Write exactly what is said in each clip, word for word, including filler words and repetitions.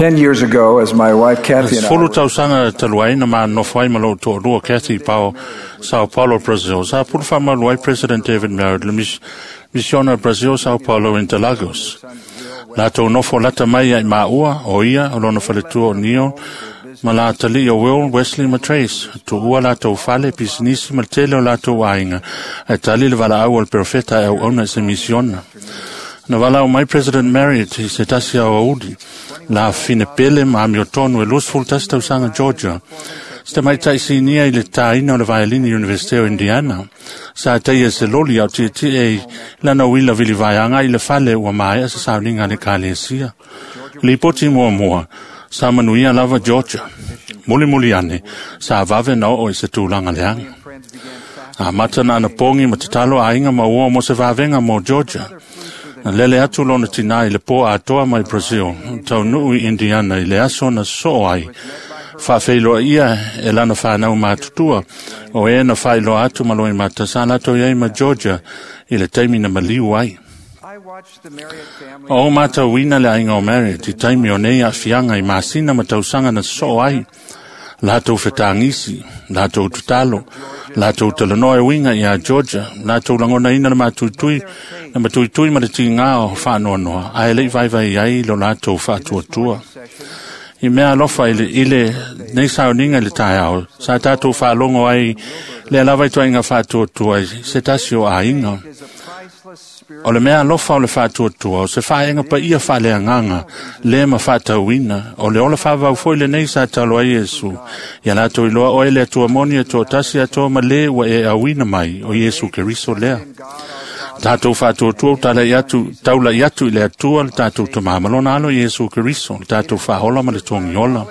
Ten years ago, as my wife Kathy and I Sefulu were tausaga talu ai na manofo ai ma lou toalua Kathy Pao, Sao Paulo, Brazil. Sa pulu faamalu ai President David Merritt le mis- misiona Brazil, Sao Paulo, Interlagos. Latou nofo lata mai ai maua, o ia, o lona faletua o Neo, ma la tali o Will, Wesley ma Trace. Tuua latou fale, pisinisi ma le tele o latou aiga. Ae tali le valaau o le perofeta e auauna i se misiona. Na valaau mai President Marriott i se tasi ao auli, la fine pele ma amiotonu e luasefulu tasi tausaga Georgia. Se tamaitai sinia i le tāina o le vaelini University o Indiana. Sa taia se loli au tietie i lana uila vilivaeaga i le fale ua maea se sauniga a le ekalesia. Lipoti muamua, sa manuia lava Georgia. Mulimuli ane, sa vave na oo i se tulaga leaga. Amata na anapogi ma tatalo aiga ma ua mo se vavega mo Georgia. Na lele atu lona tinā i le pō atoa mai Brazil, taunuu i Indiana i le aso na sosoo ai. Faafeiloa e lana whanau matutua, o e na whailoa atu ma loi mata sa latou i ai ma Georgia i le taimi na maliu ai. I watched the Marriott family O matauina le aiga o Marriott i taimi o nei aafiaga i masina ma tausaga na sosoo ai. Latou fetagisi, latou tatalo, latou talanoa e uiga iā Georgia, latou lagonaina le matuitui, le matuitui ma le tigā o faanoanoa, ae leʻi vaivai ai lo latou faatuatua. I mea alofa i le, i le nei sauniga i le taeao, sa tatou faalogo ai lea lava i toaiga faatuatua i se tasi o aiga. is a priceless spirit O le mea alofa o le faatuatua, o se faaega paia faaleagaga, le ma faatauina, o le ola faavau foi lenei sa talo ai Iesu. Ia latou iloa oe le Atua moni e toatasi atoa ma le ua e auina mai, o Iesu Keriso lea. in God our Father. Tatou faatuatua talai atu, taulai atu i le Atua le tatou Tamā ma lona alo Iesu Keriso, le tatou faaola ma le togiola.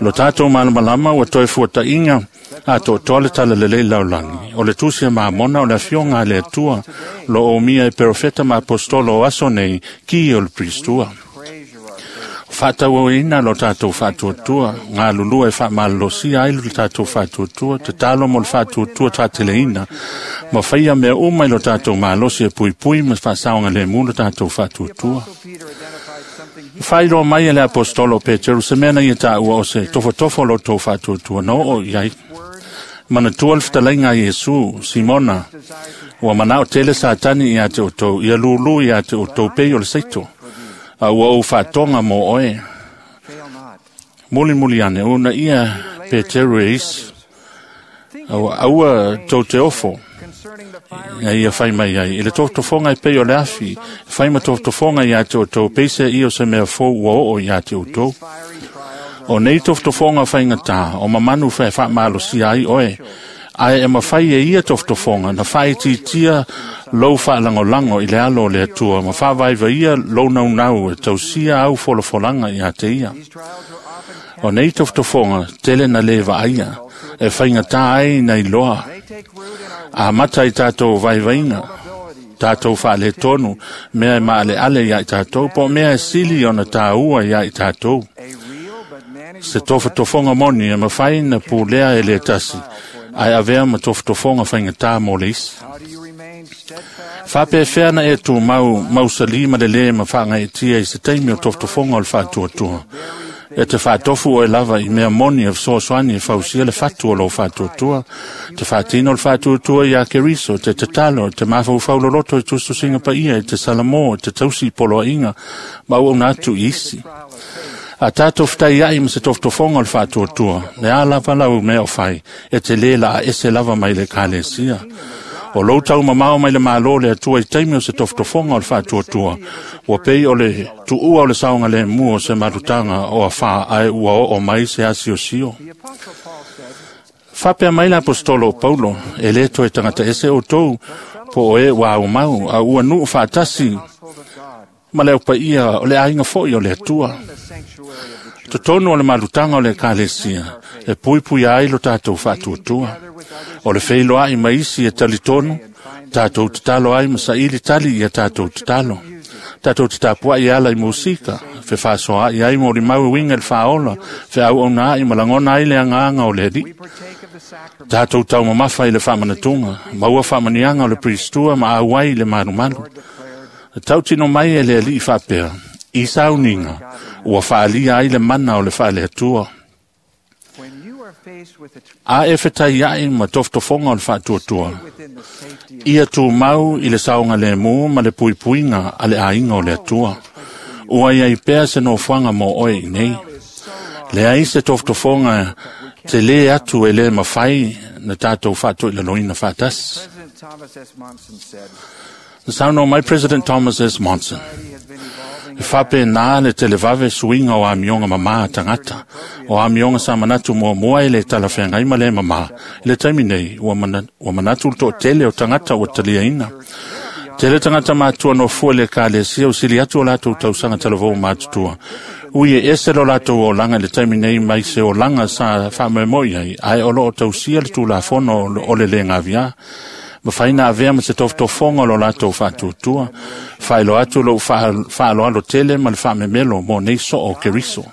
Lo tatou malamalama ua toe fuataʻiga a toatoa le talalelei laulagi. O le tusi a mamona o le afioga a le Atua, lo o umia e perofeta ma apostolo o aso nei, ki o le pristua. Treasure our faith. Faatauaina lo tatou faatuatua, galulua e faamalolosia ai lo tatou faatuatua, tatalo mo le faatuatua taateleina, ma faia mea uma i lo tatou malosi e puipui ma faasaogalemu lo tatou faatuatua. Apostle Peter identified something he Faailoa mai e le apostolo o Peteru se mea na ia taua o se tofotofo lo tou faatuatua na oo i ai. Manatua le fetalaiga a Iesu, Simona, desired to ua manao tele Satani ia te outou, ia lūlū ia te outou pei o le seito, a ua ou faatoga mo oe. fail not. Mulimuli ane, una ia Peteru e isi, aua, aua tou te ofo, Concerning the fiery ia ia fai mai ai. I le tofotofoga e pei o le afi, fai ma tofotofoga ia te outou, peise ia o se mea fou ua oo ia te outou. fiery trials O nei tofotofoga faigata, o mamanu fae faamalosia ai oe, ae e mafai e ia tofotofoga na faaitiitia lou faalagolago i le alo o le Atua ma faavaivaia lou naunau e tausia au folafolaga iā te ia. These trials are often O nei tofotofoga tele na lē vaaia, e faigatā ai na iloa, they take root in our amata i tatou vaivaiga, vulnerabilities, tatou faaletonu, mea e maaleale iā i tatou, po o mea e sili ona tāua iā i tatou. a real but manageable Se tofotofoga moni e mafai na pulea e le tasi, ae avea ma tofotofoga faigatā mo le isi. How do you remain steadfast Faapefea na e tumau mausali ma le lē ma faagaetia i se taimi o tofotofoga o le faatuatua. E te faatofu oe lava i mea moni e fesoasoani e fausia le fatu o lou faatuatua. Te faatino le faatuatua iā Keriso, te tatalo, te mafaufau loloto i tusitusiga paia, e te salamo, e te tausi i poloaiga, ma auauna atu i isi. trial of faith? A tatou fetaiai ma se tofotofoga o le faatuatua, le a lava lau mea o fai, e te lē la a ese lava mai le ekalesia. O lou taumamao mai le malo le Atua i taimi o se tofotofoga o le faatuatua, ua pei o le tuua o le saogalemu o se malutaga o afā ae ua oo mai se asiosio. The Apostle Paul said, Faapea mai le apostolo o Paulo, e lē toe tagata ese outou, po o e ua aumau, a ua nuu faatasi household of God, ma le aupaia o le aiga foi o le Atua. in the sanctuary of the church, Totonu o le malutaga o le ekalesia, e puipuia ai lo tatou faatuatua. together with others O le feiloai ma isi e talitonu, tatou tatalo ai ma saili tali ia tatou tatalo. Tatou tatapuai e ala i musika, fefaasoaai ai mo limau e uiga i le faaola, feauauna ai ma lagona ai le agaga o le Alii. we partake of the sacrament. Tatou taumamafa i le faamanatuga, maua faamaniaga o le pristua ma auai i le malumalu. Lord declared, Tautino mai e le Alii faapea, i sauniga, Ua faalia ai le mana o le faaleatua. A e fetaiai ma tofotofoga o le faatuatua, ia tumau i le saogalemu ma le puipuiga a le aiga o le Atua. Ua iai pea se nofoaga mo oe i nei. Leai se tofotofoga te lē atu e lē mafai na tatou faatoilaloina faatasi. Na saunoa mai President Thomas S. Monson, e faapena le televave suiga o amioga mamā a tagata, o amioga sa manatu muamua e le talafeagai ma le mamā. I le taimi nei, ua, mana, ua manatu le toatele o tagata ua taliaina. Tele tagata matua nofua le ekalesia o sili atu o latou tausaga talavou matutua. Ui e ese lo latou olaga i le taimi nei mai se olaga sa faamoemoe ai, ae o loo tausia le tulafono o le le gaviā. Mafai na avea ma se tofotofoga o lo latou faatuatua. Faailoa atu lou faaaloalo tele ma le faamemelo mo nei soo o Keriso.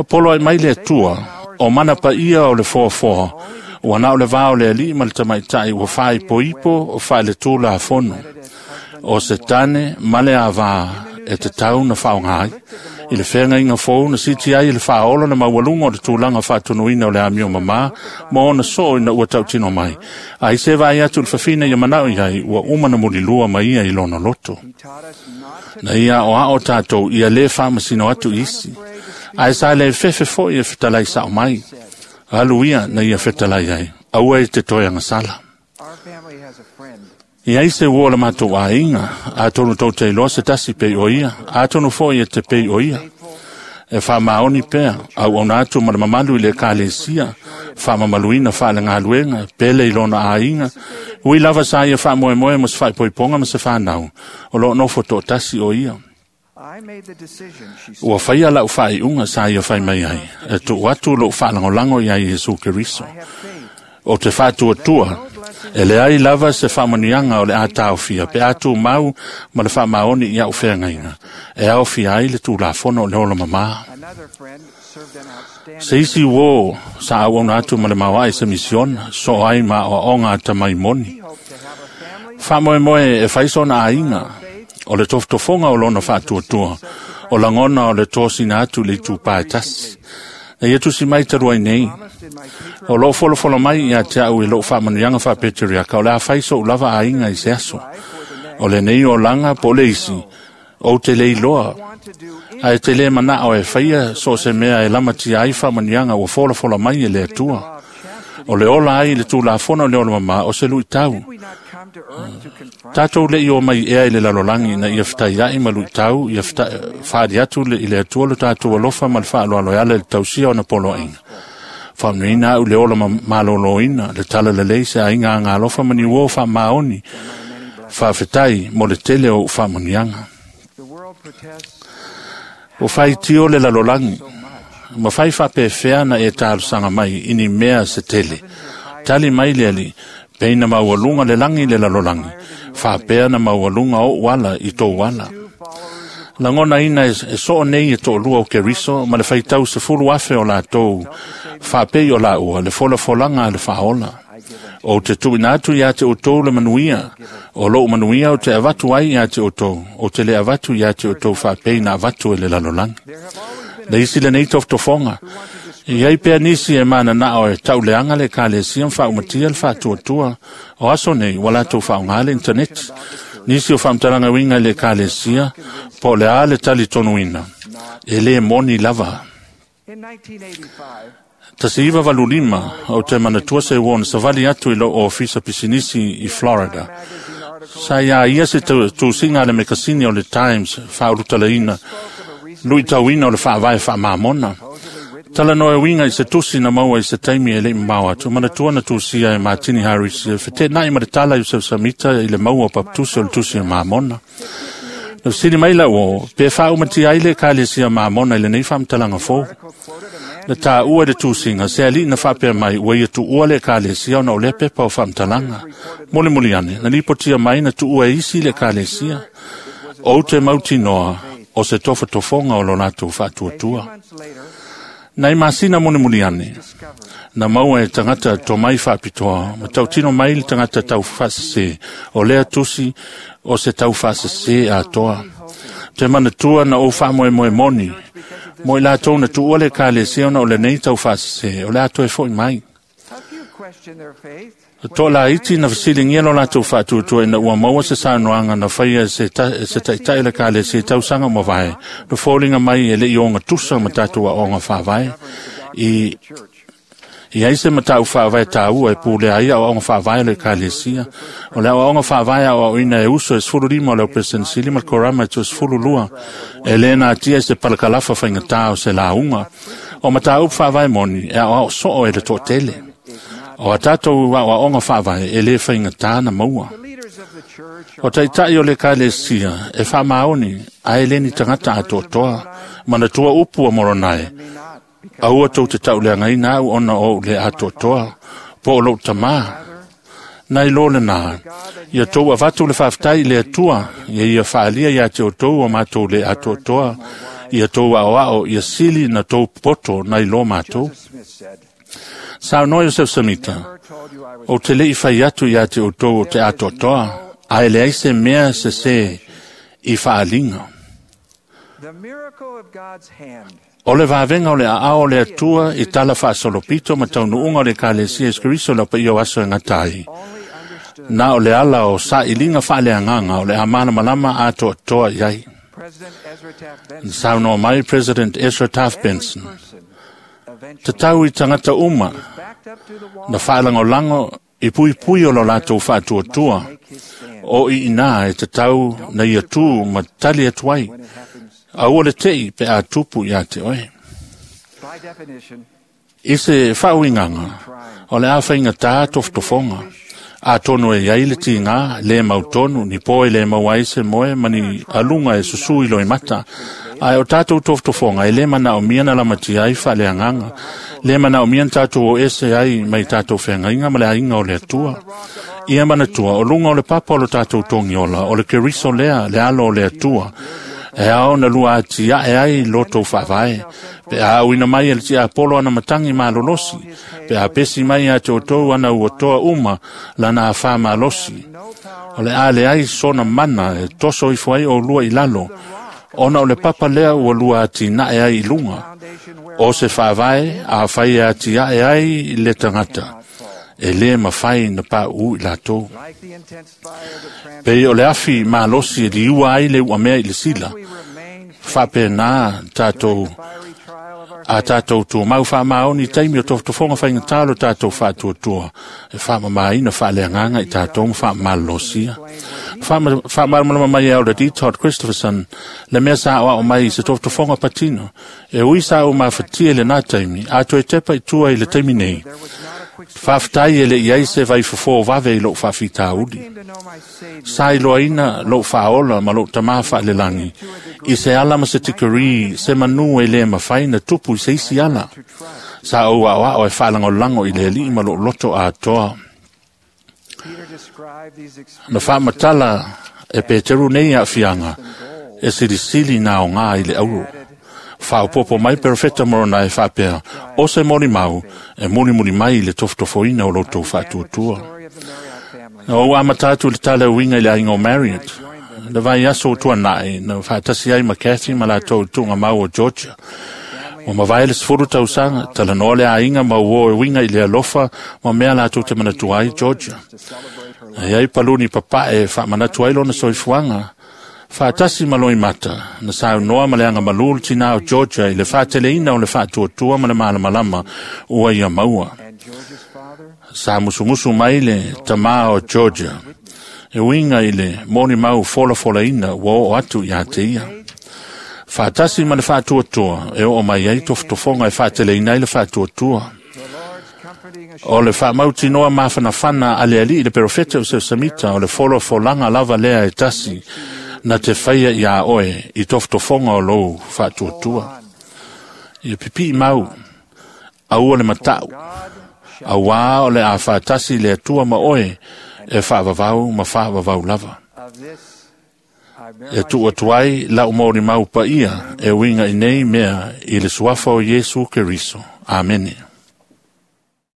Polo ai mai le Atua, o mana paia o le foafoa, ua na o le vā o le alii ma le tamaitai ua faaipoipo o faale-tulafono. O se tane ma le avā e tatau na faaaoga ai. I le feagaiga fou na siti ai i le faaola le maualuga o le tulaga faatonuina o le amio mamā ma ona soo ina ua tautino mai. Ai se vaai atu le fafine ia manao i ai ua uma na mulilua ma ia i lona loto. Na ia o ao tātou ia le faamasino atu isi. Ae sa le fefe foi e fetalai sao mai. Alu ia na ia fetalai ai. Aua e te toe agasala. Ia se ua o le matou aiga, atonu tou te iloa se tasi pei o ia, atonu foi e te pei o ia. E faamaoni pea, auauna atu ma le mamalu i le ekalesia, faamamaluina faalegaluega, pele i lona aiga, ui lava sa ia faamoemoe ma se faaipoipoga ma se fanau, o loo nofo toatasi o ia. Ua faia lau faaiuga sa ia fai mai ai, e tuu atu lou faalagolago ia Iesu Keriso. O te faatuatua, e leai lava se faamanuiaga o le a taofia pe a tumau ma le faamaoni i au feagaiga, e aofia ai le tulafono o le ola mamā. Se isi uō sa auauna atu ma le maoae se misiona, soo ai ma aoaoga a tamai moni. Faamoemoe e fai sona aiga, o le tofotofoga o lona faatuatua, o lagona o le tosina atu i le itupā e tasi. Na ia tusi mai talu ai nei, o loo folofolo mai ia te au i lou faamanuiaga faapeteriaka o le a fai sou lava aiga i se aso. O lenei olaga po o le isi, ou te le iloa, ae te lē manao e faia so o se mea e lamatia ai faamanuiaga ua folafola mai e le Atua. O le ola ai i le tulafono o le ola mamā o se luitau. Tatou le'i o mai ea i le lalolagi na ia fetaia'i ma luitau, ia faali atu i le Atua lo tatou alofa ma le faaaloalo e ala i le tausia ona poloaiga. Faamanuiaina au le ola malōlōina, le talalelei se aiga agalofa ma ni uō faamaoni, faafetai mo le tele o ou faamanuiaga. Ua faitio le lalolagi, ma fai faapefea na e talosaga mai i ni mea se tele. Tali mai le Alii, peina maualuga le lagi i le lalolagi, faapea na maualuga ou ala i tou ala. Lagonaina e soo nei e toalua o Keriso ma le faitau sefulu afe o latou faapei o laua le folafolaga a le faaola. Ou te tuuina atu iā te outou le manuia, o lou manuia ou te avatu ai iā te outou, ou te le avatu iā te outou faapei na avatu e le lalolagi. Le isi lenei tofotofoga, i ai pea nisi e mananao e tauleaga le ekalesia ma faaumatia le faatuatua, o aso nei ua latou faaaogā le intaneti. Nisi o faamatalaga uiga i le ekalesia, po o le a le talitonuina, e lē moni lava. Tasi iva valu lima, ou te manatua se uo na savali atu i lou ofisa pisinisi i Florida. Sa iā ia se tusiga a le mekasini o le Times faaulutalaina luitauina o le faavae faamamona. Talanoa e uiga i se tusi na maua i se taimi e le'i mamao atu, manatua na tusia e Martini Harris e fetena'i ma le tala i Samita i le maua o papatusi o le tusi e Mamona. Na fesili mai lau o, pe faaumatia ai le ekalesia Mamona i lenei faamatalaga fou. Na tāua i le tusiga, se alii na faapea mai ua ia tuua le ekalesia ona o lea pepa o faamatalaga. Mulimuli ane, na lipotia mai na tuua e isi le ekalesia. Ou te mautinoa o se tofotofoga o lo latou faatuatua. Nai masina mulimuli ane, na maua e tagata tomai faapitoa, ma tautino mai le tagata taufaasese, o lea tusi o se taufaasese atoa. Te manatua na ou faamoemoe moni, Mo i latou na tuua le ekalesia ona o lenei taufaasese, o le a toe fo'i mai. To'a laiti na fesiligia lo latou faatuatua ina ua maua se saunoaga na faia e se, ta, se taʻitaʻi le ekalesia i tausaga ua mavae, na foliga mai e leʻi ogatusa ma tatou aoaoga faavae. I i ai se mataupu faavae taua e pulea ai aoaoga faavae o le ekalesia. O le aoaoga faavae aoaoina e uso e sefulu lima o le Operesenisili ma le Korama e sefulu lua. E lē natia i se palakalafa faigatā o se lauga. O mataupu faavae moni e aoao soo e le toatele. O a tatou aoaoga faavae e lē faigatā na maua. O taʻitaʻi o le ekalesia e faamaoni ae le ni tagata atoatoa. Manatua upu a Moronae, aua tou te tauleagaina au ona o ou le atoatoa, po o lou tamā. Nai lo lenā, ia tou avatu le faafetai i le Atua, ia ia faaalia iā te outou o matou le atoatoa, ia tou aoao, ia sili na tou poto nai lo matou. Saunoa Iosef Samita, ou te leʻi fai atu iā te outou o te atoatoa, ae leai se mea sesē i faaliga. O le vavega o le aao o le Atua i tala faasolopito ma taunuuga o le ekalesia Iesu Keriso le paia o aso e gata ai. Na o le ala o sailiga faaleagaga o le a malamalama atoatoa i ai. Na saunoa mai President Ezra Taft Benson, tatau i tagata uma na faalagolago i puipui o lo latou faatuatua, o i inā e tatau na ia tū ma tali atu ai, aua le teʻi pe a tupu iā te oe. I se faauigaga, o le a faigatā tofotofoga, atonu e iai le tigā lē mautonu, ni po e lē maua ai se moe ma ni aluga e susū i loimata. Ae o tatou tofotofoga e lē manaomia na lamatia ai faaleagaga, lē manaomia na tatou o ese ai mai tatou feagaiga ma le aiga o le Atua. Ia manatua, o luga o le papa o lo tatou togiola, o le Keriso lea, le alo o le Atua, e ao na lua atiaʻe ai lotou faavae, pe a auina mai e le tiapolo ana matagi malolosi, pe a pesi mai iā te outou ana uatoa uma lana afā malosi. O le a leai sona mana e toso ifo ai oulua i lalo, ona o le papa lea ua lua atinae ai i luga. O se faavae afai e atiaʻe ai le tagata, e lē mafai na paʻu i latou. Pei o le afi malosi e liua ai le uamea i le sila, faapenā tatou a tatou tumau faamaoni i taimi o tofotofoga faigatā lo tatou faatuatua, e faamamāina faaleagaga i tatou ma faamalolosia. Faamalamalama mai e Elder D. Todd Christopherson le mea sa aoao mai i se tofotofoga patino, e ui sa ou mafatia i lenā taimi, a toe tepa i tua i le taimi nei. Faafetai e leʻi ai se vaifofō vave i lou faafitauli. Sa iloaina lou faaola ma lou tamā faalelagi, i se ala ma se tikarī, se manū e lē mafai na tupu i se isi ala. Sa ou aoao e faalagolago i le alii ma lou loto atoa. Na faamatala e Peteru nei aafiaga, e silisili na aogā i le auro. Faaopopo mai perofeta Moronae faapea, o se molimau e mulimuli mai i le tofotofoina o loutou faatuatua. Na ou amata atu i le tala uiga i le aiga o Marriott. Le vaiaso o tuanaʻi, na faatasi ai ma Cathy ma latou i tuugamau o Georgia. Ua mavae le sefulu tausaga, talanoa le aiga ma uō e uiga i le alofa ma mea latou te manatua ai Georgia. E ai paluni papaʻe e faamanatu ai lona soifuaga, faatasi ma loimata, na saunoa ma le agamalū le tinā o Georgia i le faateleina o le faatuatua ma le malamalama ua ia maua. Sa musumusu mai le tamā o Georgia, e uiga i le molimau folafolaina ua oo atu iā te ia. Faatasi ma le faatuatua e oo mai ai tofotofoga e faateleina ai le faatuatua. O le faamautinoa mafanafana a le alii le perofeta o Seusamita o le folafolaga lava lea e tasi na te faia iā oe i tofotofoga o lou faatuatua. Ia pipii mau, aua le mataʻu, auā o le a faatasi le Atua ma oe e faavavau ma faavavau lava. E tuu atu ai lau molimau paia e uiga i nei mea i le suafa o Iesu Keriso. Amene.